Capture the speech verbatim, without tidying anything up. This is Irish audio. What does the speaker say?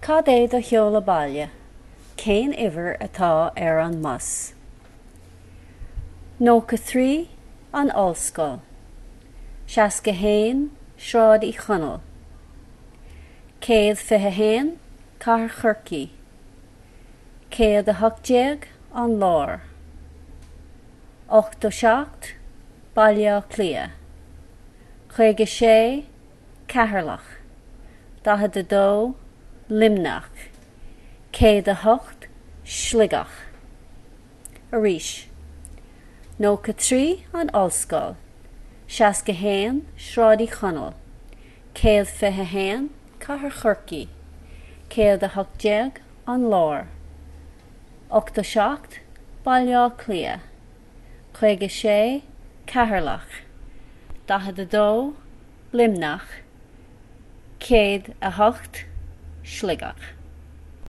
Cad é do sheoladh baile? Cén uimhir atá ar an mbus? Nócha trí an Ollscoil. Seasca haon Sráid Uí Chonaill. Céad fiche haon Cathair Chorcaí. Céad a hocht déag an Lár. Ochtó seacht Baile Átha Cliath. Caoga sé Ceatharlach. Daichead a dó Luimneach. Céad a hocht Sligeach. Arís. Nócha trí an Ollscoil. Seasca haon Sráid Uí Chonaill. Céad fiche haon Cathair Chorcaí. Céad a hocht déag an Lár. Ochtó seacht Baile Átha Cliath. Caoga sé Ceatharlach. Daichead a dó Luimneach. Céad a hocht Sligeach.